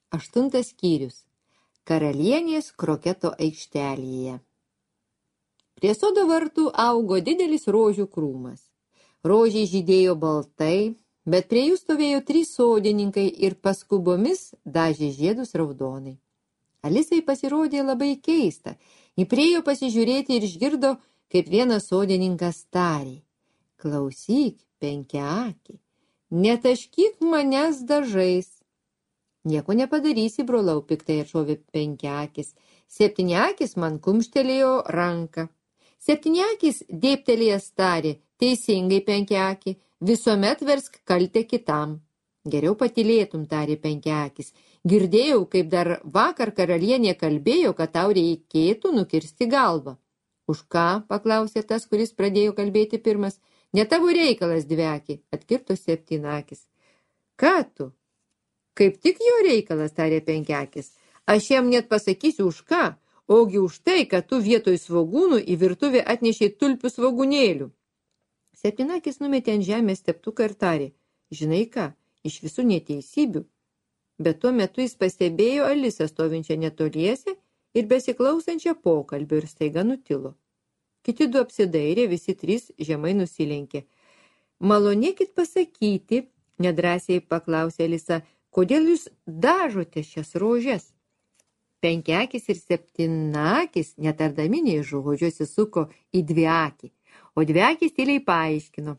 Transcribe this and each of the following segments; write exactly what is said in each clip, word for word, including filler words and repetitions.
Aštuntas skyrius. Karalienės kroketo aikštelėje. Prie sodo vartų augo didelis rožių krūmas. Rožiai žydėjo baltai, bet prie jų stovėjo trys sodininkai ir paskubomis dažė žiedus raudonai. Alisai pasirodė labai keista. Ji priėjo pasižiūrėti ir išgirdo, kaip vienas sodininkas tarė: klausyk, penkiaaki, netaškyk manęs dažais. Nieko nepadarysi, brolau, piktai atšovė penkiakis. Septyniakis man kumštelėjo ranką. Septyniakis dėbtelėjęs tarė: teisingai, penkiaki, visuomet versk kaltę kitam. Geriau patylėtum, tarė penkiakis. Girdėjau, kaip dar vakar karalienė kalbėjo, kad tau reikėtų nukirsti galvą. Už ką, paklausė tas, kuris pradėjo kalbėti pirmas. Ne tavo reikalas, dviaki, atkirto septynakis. Ką tu? Kaip tik jo reikalas, tarė penkiakis. Aš jam net pasakysiu už ką, ogi už tai, kad tu vietoj svogūnų į virtuvę atnešei tulpių svogūnėlių. Septynakis numetė ant žemės teptuką ir tarė: žinai ką, iš visų neteisybių. Bet tuo metu jis pastebėjo Alisą stovinčią netoliese ir besiklausančią pokalbio ir staiga nutilo. Kiti du apsidairė, visi trys žemai nusilenkė. Malonėkit pasakyti, nedrąsiai paklausė Alisa, kodėl jūs dažote šias rožes? Penkiakis ir septynakis, netardami nei žodžio, įsisuko į dviakį, o dviakis tyliai paaiškino: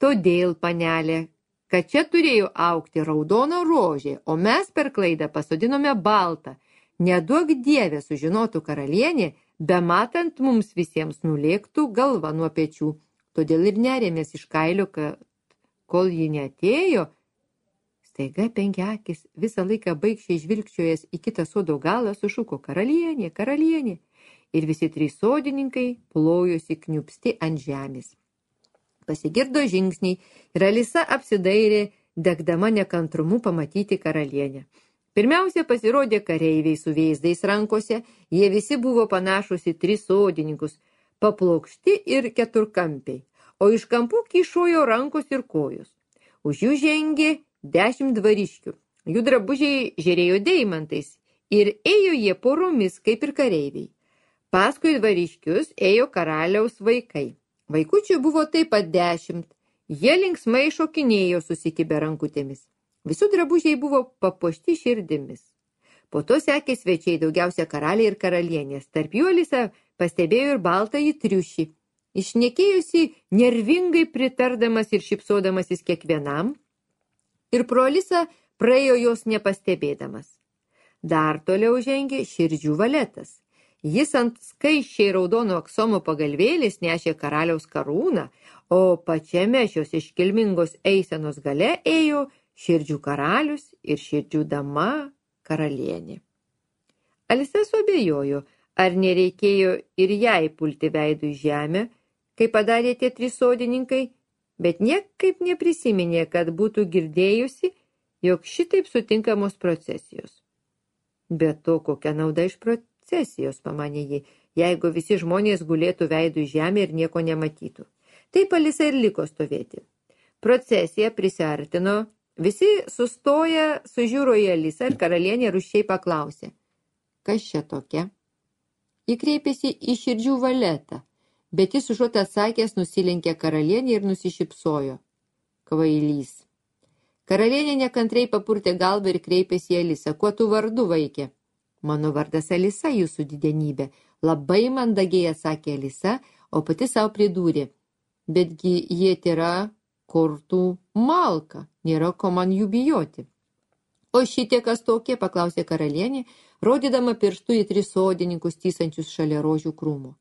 todėl, panelė, kad čia turėjo augti raudona rožė, o mes per klaidą pasodinome baltą. Neduok dievė, sužinotų karalienė, bematant mums visiems nulėktų galva nuo pečių. Todėl ir nerėmės iš kailio, kad kol ji neatėjo. Staiga penkiakis, visą laiką baigščiai žvilgčiojęs į kitą sodo galą, sušuko: karalienė, karalienė. Ir visi trys sodininkai plojosi kniupsti ant žemės. Pasigirdo žingsniai ir Alisa apsidairė, degdama nekantrumu pamatyti karalienę. Pirmiausia pasirodė kareiviai su vėzdais rankose, jie visi buvo panašus į tris sodininkus, paplokšti ir keturkampiai, o iš kampų kyšojo rankos ir kojos. Už jų žengė dešimt dvariškių, jų drabužiai žėrėjo deimantais ir ėjo jie poromis kaip ir kareiviai. Paskui dvariškius ėjo karaliaus vaikai. Vaikučių buvo taip pat dešimt, jie linksmai šokinėjo susikibę rankutėmis. Visų drabužiai buvo papuošti širdimis. Po to sekė svečiai, daugiausia karaliai ir karalienės. Tarp jų Alisa pastebėjo ir baltąjį triušį. Išnekėjusi nervingai pritardamas ir šypsodamasis kiekvienam, ir pro Alisą praėjo jos nepastebėdamas. Dar toliau žengė širdžių valetas. Jis ant skaisčiai raudono aksomo pagalvėlės nešė karaliaus karūną, o pačiame šios iškilmingos eisenos gale ėjo širdžių karalius ir širdžių dama karalienė. Alisa suabejojo, ar nereikėjo ir jai pulti veidų į žemę, kaip padarė tie trys sodininkai, bet niekaip neprisiminė, kad būtų girdėjusi, jog šitaip sutinkamos procesijos. Bet to, kokia nauda iš procesijos, pamanė ji, jeigu visi žmonės gulėtų veidų į žemę ir nieko nematytų. Taip Alisa ir liko stovėti. Procesija prisiartino, visi sustoję sužiūro į Alisą ir karalienė rūsčiai paklausė: kas čia tokia? Ji kreipėsi į širdžių valetą, bet jis užuot atsakęs nusilenkė karalienė ir nusišypsojo. Kvailys. Karalienė nekantriai papurtė galvą ir kreipėsi į Alisą: kuo tu vardu, vaikė? Mano vardas Alisa, jūsų didenybė, labai mandagiai atsakė Alisa, o pati savo pridūrė: betgi jie yra kortų malka, nėra ko man jų bijoti. O šitie kas tokie, paklausė karalienė, rodydama pirštu į tris sodininkus tysančius šalia rožių krūmo.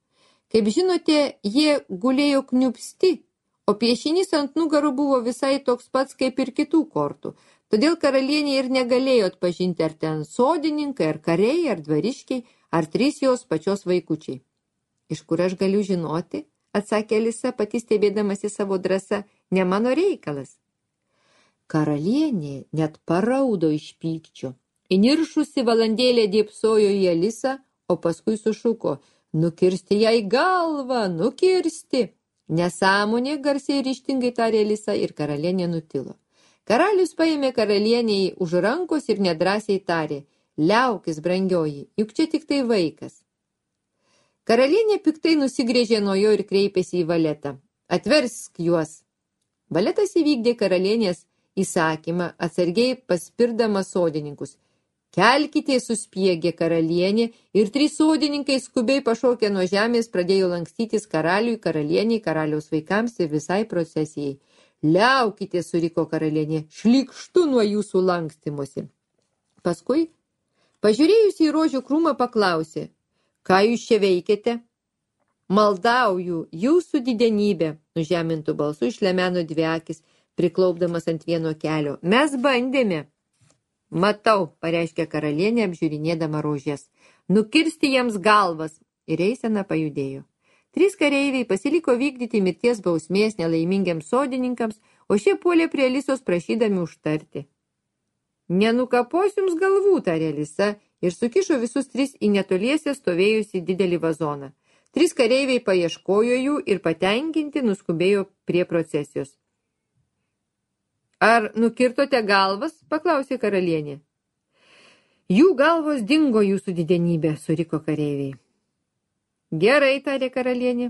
Kaip žinote, jie gulėjo kniupsti, o piešinys ant nugarų buvo visai toks pats kaip ir kitų kortų. Todėl karalienė ir negalėjo atpažinti, ar ten sodininkai, ar kariai, ar dvariškiai, ar trys jos pačios vaikučiai. Iš kur aš galiu žinoti, atsakė Alisa, pati stebėdamasi savo drąsą, ne mano reikalas. Karalienė net paraudo iš pykčio. Įniršusi valandėlę dėbsojo į Alisą, o paskui sušuko: nukirsti jai galvą, nukirsti. Nesąmonė, garsiai ryžtingai tarė Alisa ir karalienė nutilo. Karalius paėmė karalienei už rankos ir nedrąsiai tarė: liaukis, brangioji, juk čia tik tai vaikas. Karalienė piktai nusigrėžė nuo jo ir kreipėsi į valetą: atversk juos. Valetas įvykdė karalienės įsakymą, atsargiai paspirdamas sodininkus. Kelkite, suspiegė karalienė, ir trys sodininkai skubiai pašokę nuo žemės pradėjo lankstytis karaliui, karalieniai, karaliaus vaikams ir visai procesijai. Liaukite, suriko karalienė, šlykštu nuo jūsų lankstymosi. Paskui, pažiūrėjusi į rožių krūmą, paklausė: ką jūs čia veikiate? Maldauju, jūsų didenybė, nužemintų balsų išlemeno dvi akis, priklaupdamas ant vieno kelio. Mes bandėme. Matau, pareiškė karalienė, apžiūrinėdama rožės. Nukirsti jiems galvas. Ir eisena pajudėjo. Trys kareiviai pasiliko vykdyti mirties bausmės nelaimingiams sodininkams, o šie puolė prie Alisos prašydami užtarti. Nenukapos jums galvų, tarė Alisa, ir sukišo visus tris į netoliese stovėjusi didelį vazoną. Trys kareiviai paieškojo jų ir patenkinti nuskubėjo prie procesijos. Ar nukirtote galvas? Paklausė karalienė. Jų galvos dingo, jūsų didenybė, suriko kareiviai. Gerai, tarė karalienė.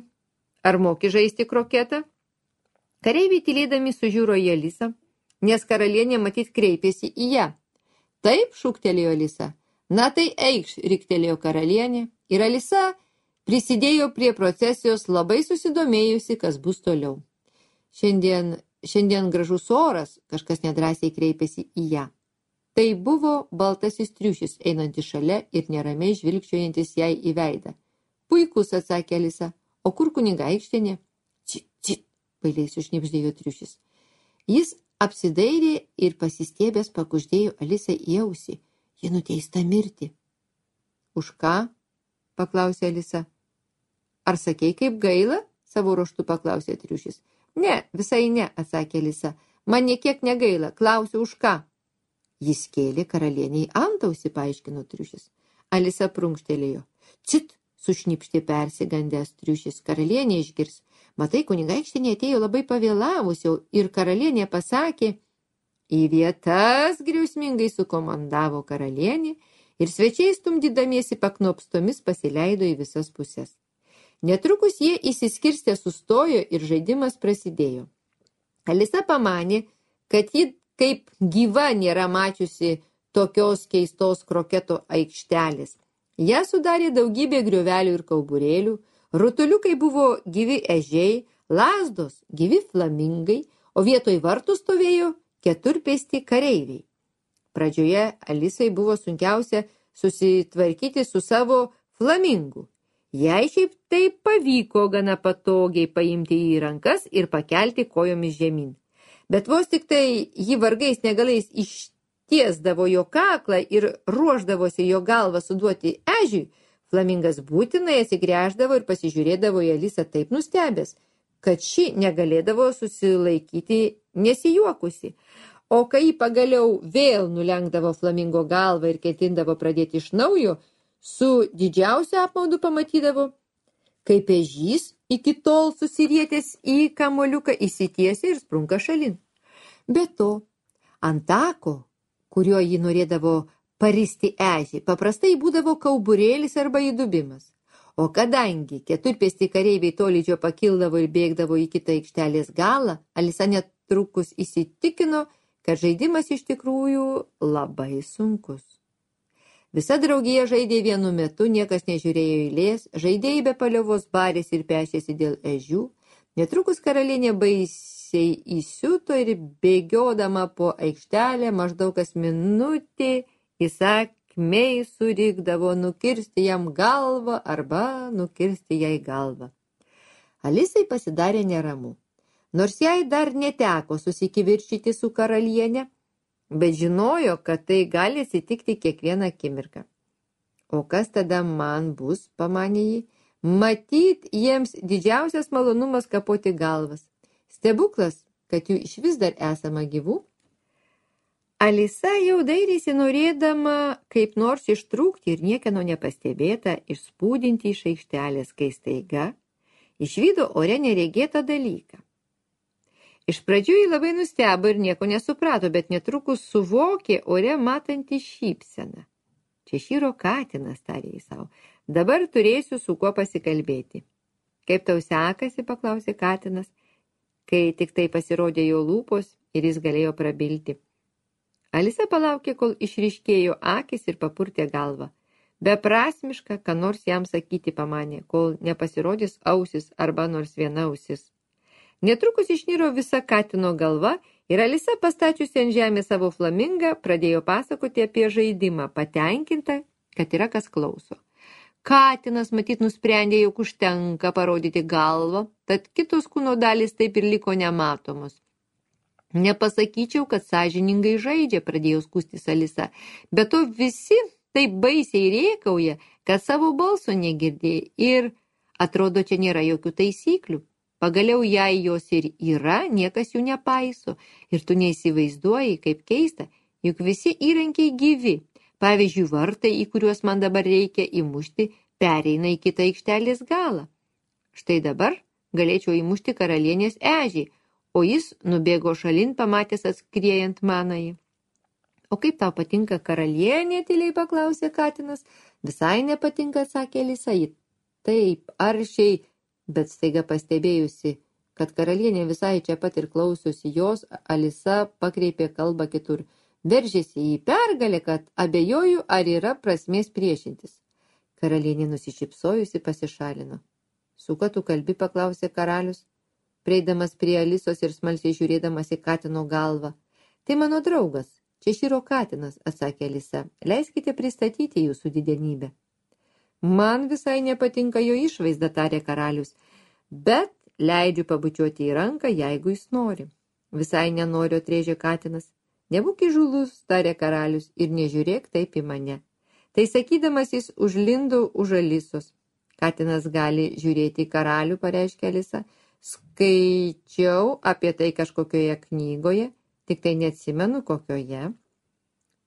Ar moki žaisti kroketą? Kareiviai tylėdami sužiūro į Alisą, nes karalienė matyt kreipėsi į ją. Taip, šūktelėjo Alisa. Na tai eikš, riktelėjo karalienė, ir Alisa prisidėjo prie procesijos, labai susidomėjusi, kas bus toliau. Šiandien Šiandien gražus oras, kažkas nedrąsiai kreipėsi į ją. Tai buvo baltasis triušis, einantis šalia ir neramiai žvilgčiojantis jai į veidą. Puikus, atsakė Alisa. O kur kunigaikštienė? Cit, cit, bailiai sušnibždėjo triušis. Jis apsidairė ir pasistiebęs pakuždėjo Alisai į ausį. Ji nuteista mirti. Už ką? Paklausė Alisa. Ar sakei, kaip gaila? Savo ruožtu paklausė triušis. Ne, visai ne, atsakė Alisa. Man niekiek negaila, klausiu už ką. Jis kėlė karalieniai antausį, paaiškino triušis. Alisa prunkštelėjo. Cit, sušnipštė persigandęs triušis, karalienė išgirs. Matai, kunigaikštienė atėjo labai pavėlavusi ir karalienė pasakė. Į vietas griausmingai sukomandavo karalienė ir svečiai stumdydamiesi paknopstomis pasileido į visas puses. Netrukus jie įsiskirstę sustojo ir žaidimas prasidėjo. Alisa pamanė, kad ji kaip gyva nėra mačiusi tokios keistos kroketo aikštelės. Ją sudarė daugybė griovelių ir kauburėlių, rutuliukai buvo gyvi ežiai, lazdos gyvi flamingai, o vietoj vartų stovėjo keturpėsti kareiviai. Pradžioje Alisai buvo sunkiausia susitvarkyti su savo flamingu. Jai šiaip taip pavyko gana patogiai paimti jį į rankas ir pakelti kojomis žemyn. Bet vos tik tai jį vargais negalais ištiesdavo jo kaklą ir ruošdavosi jo galvą suduoti ežiui, flamingas būtinai atsigręždavo ir pasižiūrėdavo į Alisą taip nustebęs, kad ši negalėdavo susilaikyti nesijuokusi. O kai pagaliau vėl nulenkdavo flamingo galvą ir ketindavo pradėti iš naujo, su didžiausiu apmaudu pamatydavo, kaip ežys iki tol susirietęs į kamoliuką įsitiesia ir sprunka šalin. Be to, ant tako, kuriuo jį norėdavo paristi ežį, paprastai būdavo kauburėlis arba įdubimas. O kadangi keturpėsti kareiviai tolydžio pakildavo ir bėgdavo į kitą aikštelės galą, Alisa netrukus įsitikino, kad žaidimas iš tikrųjų labai sunkus. Visa draugija žaidė vienu metu, niekas nežiūrėjo eilės, žaidėjai be paliovos barėsi ir pešėsi dėl ežių. Netrukus karalienė baisiai įsiuto ir bėgiodama po aikštelę maždaug kas minutė įsakmiai surikdavo nukirsti jam galvą arba nukirsti jai galvą. Alisai pasidarė neramu. Nors jai dar neteko susikivirčyti su karalienė, bet žinojo, kad tai gali atsitikti kiekvieną akimirką. O kas tada man bus, pamanė jį, matyt jiems didžiausias malonumas kapoti galvas. Stebuklas, kad jų iš vis dar esama gyvų. Alisa jau dairėsi norėdama kaip nors ištrūkti ir niekieno nepastebėta išspūdinti iš aikštelės, kai staiga išvydo ore neregėtą dalyką. Iš pradžių jį labai nustebo ir nieko nesuprato, bet netrukus suvokė ore matantį šypseną. Češyro katinas, tarė jis savo, dabar turėsiu su kuo pasikalbėti. Kaip tau sekasi, paklausė katinas, kai tik tai pasirodė jo lūpos ir jis galėjo prabilti. Alisa palaukė, kol išryškėjo akis ir papurtė galvą. Beprasmiška, ką nors jam sakyti pamanė, kol nepasirodys ausis arba nors viena ausis. Netrukus išniro visa katino galva ir Alisa, pastačiusi ant žemės savo flamingą, pradėjo pasakoti apie žaidimą, patenkinta, kad yra kas klauso. Katinas matyt nusprendė, jog užtenka parodyti galvą, tad kitos kūno dalys taip ir liko nematomos. Nepasakyčiau, kad sąžiningai žaidžia, pradėjo skųstis Alisa, bet to visi taip baisiai rėkauja, kad savo balso negirdėjo ir atrodo, čia nėra jokių taisyklių. Pagaliau, jei jos ir yra, niekas jų nepaiso ir tu neįsivaizduoji, kaip keista, juk visi įrankiai gyvi. Pavyzdžiui, vartai, į kuriuos man dabar reikia įmušti, pereina į kitą aikštelės galą. Štai dabar galėčiau įmušti karalienės ežį, o jis nubėgo šalin, pamatęs atskriejant manąjį. O kaip tau patinka karalienė, tyliai paklausė katinas. Visai nepatinka, atsakė Alisa. Taip, aršiai, bet staiga pastebėjusi, kad karalienė visai čia pat ir klausiusi jos, Alisa pakreipė kalbą kitur. Veržėsi į pergalę, kad abejoju, ar yra prasmės priešintis. Karalienė nusišypsojusi pasišalino. Su kuo tu kalbi, paklausė karalius, prieidamas prie Alisos ir smalsiai žiūrėdamas į katino galvą. Tai mano draugas, Češyro katinas, atsakė Alisa. Leiskite pristatyti jūsų didenybę. Man visai nepatinka jo išvaizda, tarė karalius, bet leidžiu pabučiuoti į ranką, jeigu jis nori. Visai nenoriu, atrėžė katinas. Nebūk įžūlus, tarė karalius, ir nežiūrėk taip į mane. Tai sakydamas jis užlindo už Alisos. Katinas gali žiūrėti į karalių, pareiškė Alisa. Skaičiau apie tai kažkokioje knygoje, tik tai neatsimenu kokioje.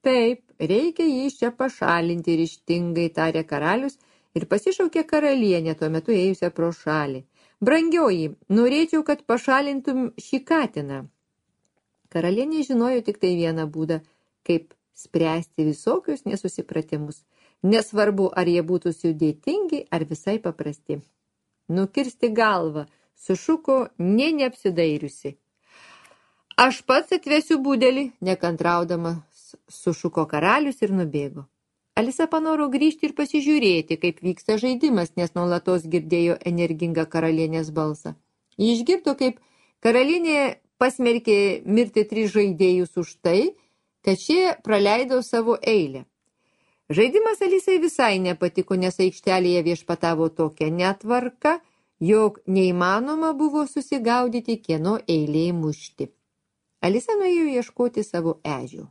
Taip, reikia jį iš čia pašalinti, ryžtingai tarė karalius ir pasišaukė karalienę, tuo metu ėjusią pro šalį. Brangioji, norėčiau, kad pašalintum šį katiną. Karalienė žinojo tik tai vieną būdą, kaip spręsti visokius nesusipratimus. Nesvarbu, ar jie būtų sudėtingi, ar visai paprasti. Nukirsti galvą, sušuko nė neapsidairiusi. Aš pats atvesiu budelį, nekantraudamas sušuko karalius ir nubėgo. Alisa panoro grįžti ir pasižiūrėti, kaip vyksta žaidimas, nes nuolatos girdėjo energingą karalienės balsą. Ji išgirdo, kaip karalienė pasmerkė mirti tris žaidėjus už tai, kad šie praleido savo eilę. Žaidimas Alisai visai nepatiko, nes aikštelėje viešpatavo tokia netvarka, jog neįmanoma buvo susigaudyti, kieno eilė mušti. Alisa nuėjo ieškoti savo ežių.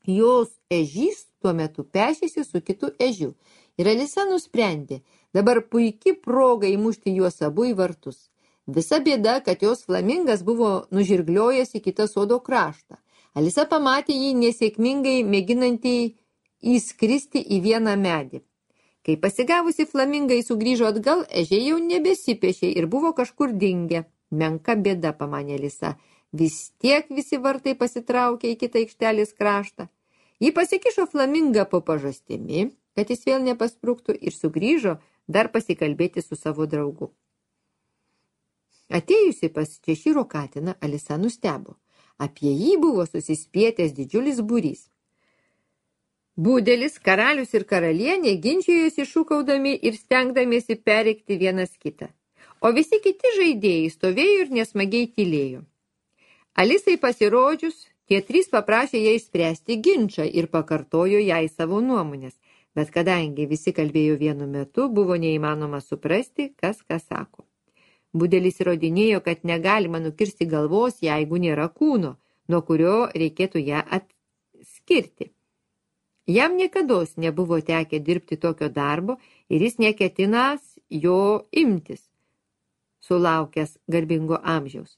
Jos ežys tuo metu pešėsi su kitu ežiu ir Alisa nusprendė, dabar puiki proga įmušti juos abu į vartus. Visa bėda, kad jos flamingas buvo nužirgliojęs į kitą sodo kraštą. Alisa pamatė jį nesėkmingai mėginantį įskristi į vieną medį. Kai pasigavusi flamingai sugrįžo atgal, ežiai jau nebesipešė ir buvo kažkur dingę. Menka bėda, pamanė Alisa. Vis tiek visi vartai pasitraukė į kitą aikštelės kraštą. Ji pasikišo flamingą po pažastimi, kad jis vėl nepaspruktų ir sugrįžo dar pasikalbėti su savo draugu. Atėjusi pas Češyro katiną, Alisa nustebo. Apie jį buvo susispietęs didžiulis būrys. Budelis, karalius ir karalienė ginčijosi šūkaudami ir stengdamiesi pereikti vienas kitą. O visi kiti žaidėjai stovėjo ir nesmagiai tylėjo. Alisai pasirodžius, tie trys paprašė ją išspręsti ginčą ir pakartojo jai savo nuomonės, bet kadangi visi kalbėjo vienu metu, buvo neįmanoma suprasti, kas ką sako. Budelis įrodinėjo, kad negalima nukirsti galvos, jeigu nėra kūno, nuo kurio reikėtų ją atskirti. Jam niekados nebuvo tekę dirbti tokio darbo ir jis neketinas jo imtis, sulaukęs garbingo amžiaus.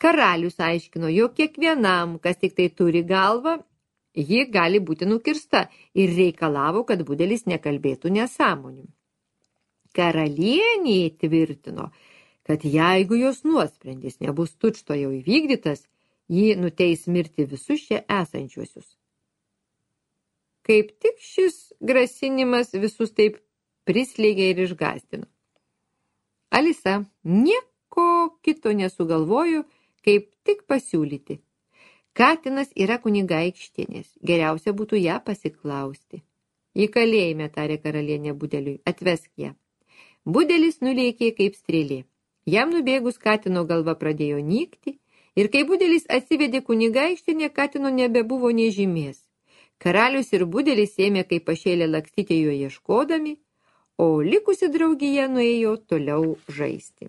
Karalius aiškino, jog kiekvienam, kas tik tai turi galvą, ji gali būti nukirsta ir reikalavo, kad budelis nekalbėtų nesąmonių. Karalienė tvirtino, kad jeigu jos nuosprendis nebus tučto jau įvykdytas, jį nuteis mirti visus čia esančiuosius. Kaip tik šis grasinimas visus taip prislėgė ir išgąstino. Alisa nieko kito nesugalvojo, kaip tik pasiūlyti. Katinas yra kunigaikštienės, geriausia būtų ją pasiklausti. Į kalėjime, tarė karalienė Budeliui, atvesk ją. Budelis nulėkė kaip strėlė. Jam nubėgus katino galva pradėjo nykti, ir kai Budelis atsivedė kunigaikštienę, katino nebebuvo nė žymės. Karalius ir Budelis ėmė kaip pašėlę lakstyti jo ieškodami, o likusi draugija nuėjo toliau žaisti.